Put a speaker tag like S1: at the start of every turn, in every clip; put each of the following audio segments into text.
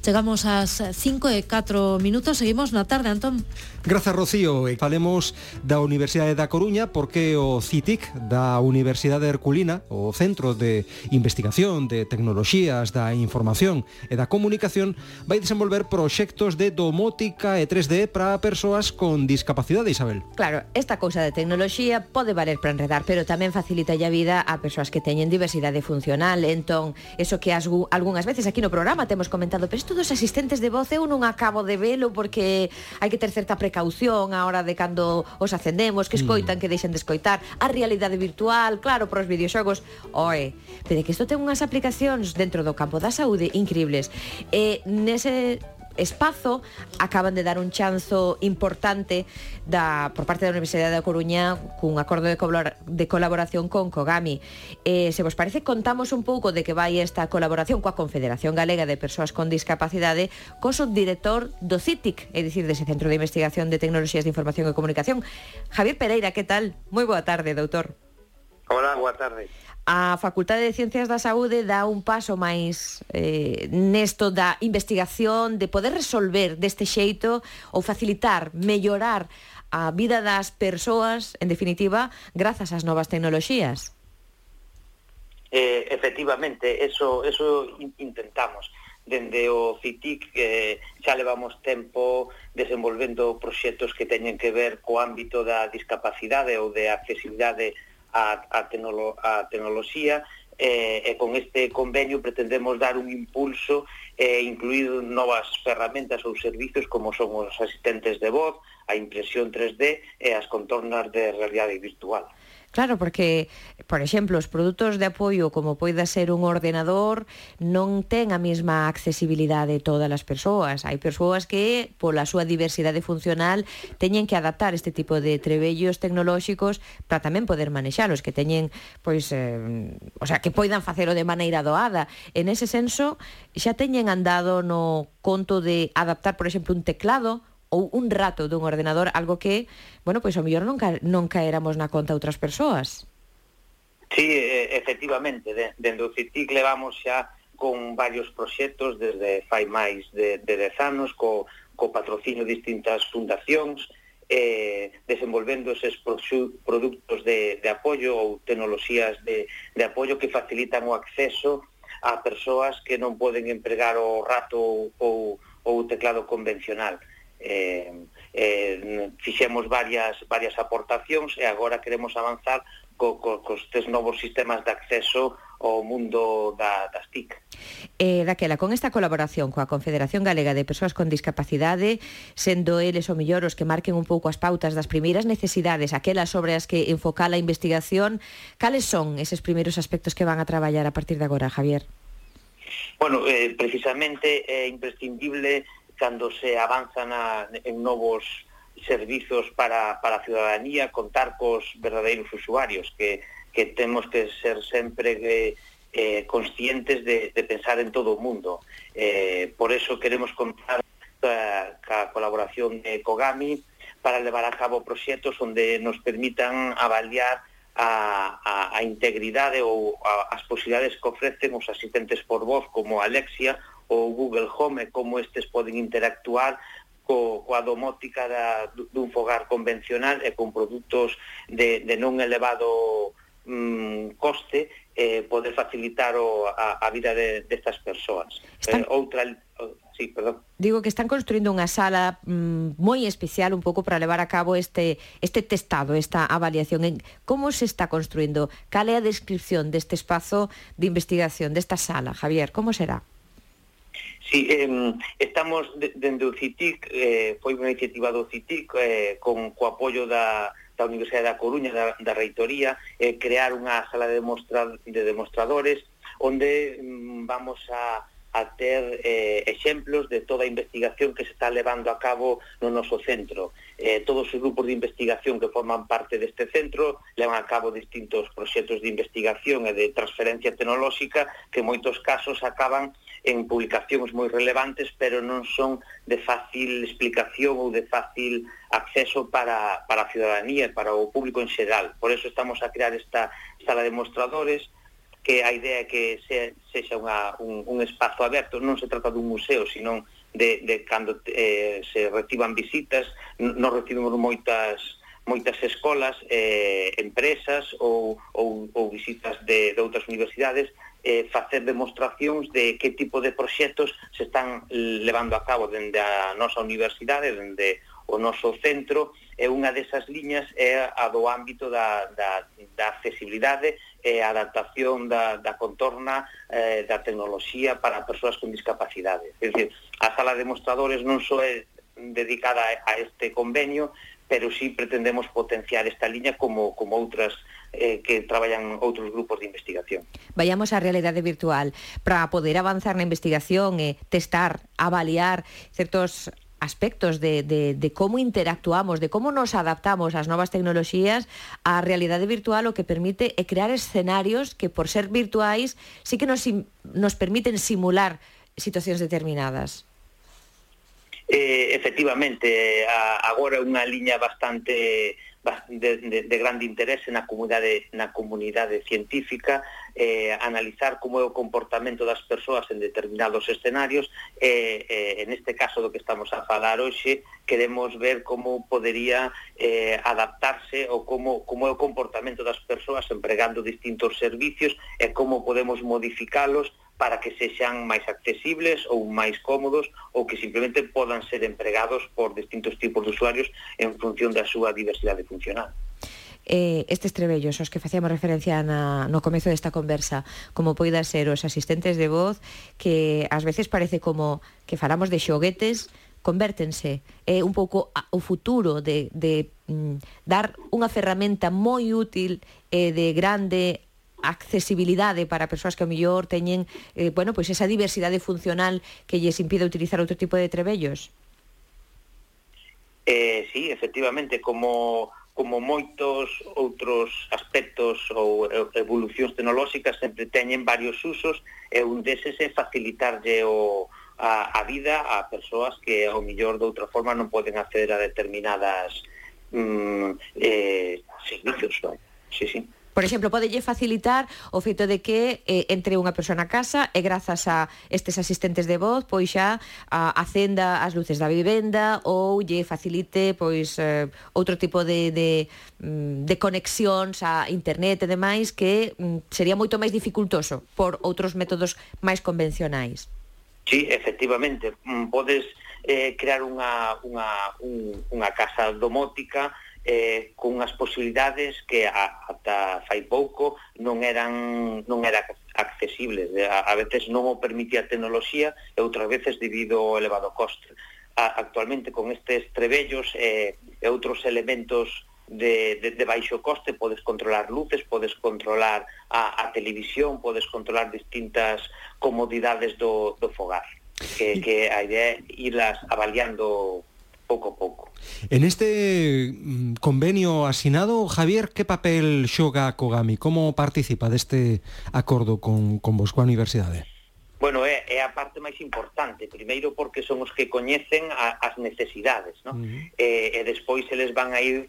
S1: Chegamos ás 5:04, seguimos na tarde, Antón.
S2: Grazas, Rocío. Falemos da Universidade da Coruña porque o CITIC da Universidade Herculina, o Centro de Investigación de Tecnoloxías da Información e da Comunicación, vai desenvolver proxectos de domótica e 3D para persoas con discapacidade, Isabel.
S3: Claro, esta cousa de tecnoloxía pode valer para enredar, pero tamén facilita a vida a persoas que teñen diversidade funcional. Entón, eso que algunhas veces aquí no programa temos comentado, pero isto dos asistentes de voz eu non acabo de velo porque hai que ter certa precaución a hora de cando os acendemos, que escoitan, que deixen de escoitar, a realidade virtual, claro, para os videoxogos, pero que isto ten unhas aplicacións dentro do campo da saúde increíbles. Nese espazo acaban de dar un chanzo importante por parte da Universidade da Coruña cun acordo de colaboración con Kogami. Se vos parece, contamos un pouco de que vai esta colaboración coa Confederación Galega de Persoas con Discapacidade, co subdirector do CITIC, é dicir, dese Centro de Investigación de Tecnoloxías de Información e Comunicación, Javier Pereira. Que tal? Moi boa tarde, doutor.
S4: Hola, boa tarde.
S3: A Facultade de Ciencias da Saúde dá un paso máis nesto da investigación, de poder resolver deste xeito ou facilitar, mellorar a vida das persoas, en definitiva, grazas ás novas tecnoloxías.
S4: Efectivamente, eso intentamos. Dende o CITIC xa levamos tempo desenvolvendo proxectos que teñen que ver co ámbito da discapacidade ou de accesibilidade a tecnoloxía, e con este convenio pretendemos dar un impulso e incluir novas ferramentas ou servizos como son os asistentes de voz, a impresión 3D e as contornas de realidade virtual.
S3: Claro, porque, por exemplo, os produtos de apoio como poida ser un ordenador non ten a mesma accesibilidade todas as persoas. Hai persoas que, pola súa diversidade funcional, teñen que adaptar este tipo de trebellos tecnolóxicos para tamén poder manexalos, que teñen, pois, que poidan facelo de maneira doada. En ese senso, xa teñen andado no conto de adaptar, por exemplo, un teclado ou un rato dun ordenador, algo que, pois ao mellor non caéramos na conta outras persoas.
S4: Sí, efectivamente, dende o CITIC levamos xa con varios proxectos desde fai máis de 10 anos, co patrocinio de distintas fundacións, desenvolvendo eses produtos de apoio ou tecnoloxías de apoio que facilitan o acceso a persoas que non poden empregar o rato ou o teclado convencional. Fixemos varias aportacións e agora queremos avanzar cos tres novos sistemas de acceso ao mundo das TIC.
S3: Daquela, con esta colaboración coa Confederación Galega de Persoas con Discapacidade, sendo eles o mellor os que marquen un pouco as pautas das primeiras necesidades, aquelas sobre as que enfocar a investigación, cales son eses primeiros aspectos que van a traballar a partir de agora, Javier?
S4: Bueno, precisamente é imprescindible cando se avanza en novos servizos para a ciudadanía, contar cos verdadeiros usuarios, que temos que ser sempre conscientes de pensar en todo o mundo. Por eso queremos contar ca colaboración de Kogami para levar a cabo proxectos onde nos permitan avaliar a integridade ou as posibilidades que ofrecen os asistentes por voz como Alexia ou Google Home, como estes poden interactuar coa domótica dun fogar convencional e con produtos de non elevado coste, poder facilitar a vida destas persoas.
S3: Digo que están construindo unha sala moi especial un pouco para levar a cabo este testado, esta avaliación. Como se está construindo? Cal é a descripción deste espazo de investigación, desta sala, Javier? Como será?
S4: Sí, estamos dende o CITIC, foi unha iniciativa do CITIC co apoio da Universidade da Coruña, da Reitoría, crear unha sala de demostradores onde vamos a ter exemplos de toda a investigación que se está levando a cabo no noso centro. Todos os grupos de investigación que forman parte deste centro levan a cabo distintos proxectos de investigación e de transferencia tecnolóxica que en moitos casos acaban en publicacións moi relevantes, pero non son de fácil explicación ou de fácil acceso para a ciudadanía e para o público en xeral. Por eso estamos a crear esta sala de mostradores que a idea é que sexa un espazo aberto. Non se trata dun museo, sino de cando se reciban visitas. Nos recibimos moitas escolas, empresas ou visitas de outras universidades, facer demostracións de que tipo de proxectos se están levando a cabo dende a nosa universidade, dende o noso centro, e unha desas liñas é a do ámbito da accesibilidade e a adaptación da contorna da tecnoloxía para persoas con discapacidade. É dicir, a sala de demostradores non só é dedicada a este convenio, pero sí pretendemos potenciar esta liña como outras que traballan outros grupos de investigación.
S3: Vayamos á realidade virtual para poder avanzar na investigación e testar, avaliar certos aspectos de como interactuamos, de como nos adaptamos ás novas tecnoloxías. A realidade virtual o que permite é crear escenarios que, por ser virtuais, sí que nos permiten simular situacións determinadas.
S4: Efectivamente, agora é unha liña bastante de grande interese na comunidade científica, analizar como é o comportamento das persoas en determinados escenarios, en este caso do que estamos a falar hoxe, queremos ver como podería adaptarse ou como é o comportamento das persoas empregando distintos servicios e como podemos modificalos para que sexan máis accesibles ou máis cómodos, ou que simplemente podan ser empregados por distintos tipos de usuarios en función da súa diversidade funcional.
S3: Estes trebellos aos que facíamos referencia no comezo desta conversa, como poida ser os asistentes de voz, que ás veces parece como que falamos de xoguetes, convértense un pouco o futuro de dar unha ferramenta moi útil e de grande accesibilidade para persoas que ao mellor teñen pois esa diversidade funcional que lles impide utilizar outro tipo de trebellos.
S4: Sí, efectivamente, como moitos outros aspectos ou evolucións tecnolóxicas sempre teñen varios usos, e un deses é facilitarlle a vida a persoas que ao mellor de outra forma non poden acceder a determinadas servicios. Sí, sí.
S3: Por exemplo, podelle facilitar o feito de que entre unha persoa na casa e grazas a estes asistentes de voz pois xa acenda as luces da vivenda ou lle facilite pois outro tipo de conexións a internet e demais que sería moito máis dificultoso por outros métodos máis convencionais.
S4: Sí, efectivamente, podes crear unha casa domótica con unhas posibilidades que ata fai pouco non era accesible. A veces non o permitía a tecnoloxía e outras veces debido ao elevado coste. Actualmente con estes trebellos e outros elementos de baixo coste podes controlar luces, podes controlar a televisión, podes controlar distintas comodidades do fogar, que a idea é irlas avaliando pouco a pouco.
S2: En este convenio asinado, Javier, que papel xoga a Kogami? Como participa deste acordo con vos, coa universidade?
S4: Bueno, é a parte máis importante, primeiro porque son os que coñecen as necesidades, ¿no? E despois eles van a ir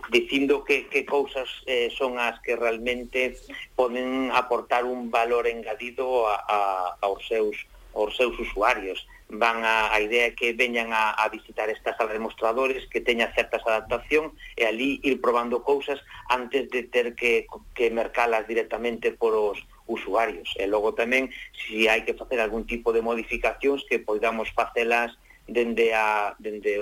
S4: dicindo que cousas son as que realmente poden aportar un valor engadido aos seus usuarios. Van a idea que veñan a visitar esta sala de demostradores, que teña certas adaptación e ali ir probando cousas antes de ter que mercalas directamente por os usuarios. E logo tamén, se hai que facer algún tipo de modificacións, que poidamos facelas dende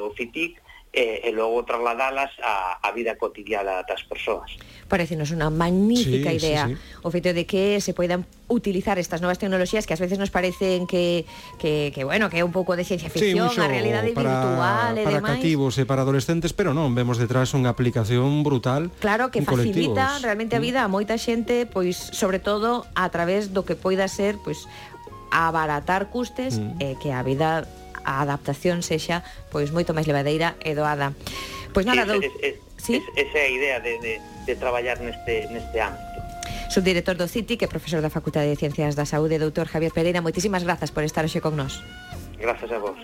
S4: o CITIC e logo trasladalas á vida cotidiana das persoas.
S3: Parecenos unha magnífica idea. Sí. O feito de que se poidan utilizar estas novas tecnoloxías que ás veces nos parecen que bueno, que é un pouco de ciencia ficción, a realidade virtual e demais.
S2: Para cativos e para adolescentes, pero non, vemos detrás unha aplicación brutal.
S3: Claro, que facilita realmente a vida a moita xente, pois sobre todo a través do que poida ser pois abaratar custes e que a vida, a adaptación sexa pois moito máis levadeira e doada. Pois nada,
S4: esa é a idea de traballar neste ámbito.
S3: Subdirector do CITIC e profesor da Facultade de Ciencias da Saúde, doutor Javier Pereira, moitísimas grazas por estar hoxe con nós.
S4: Grazas a vos.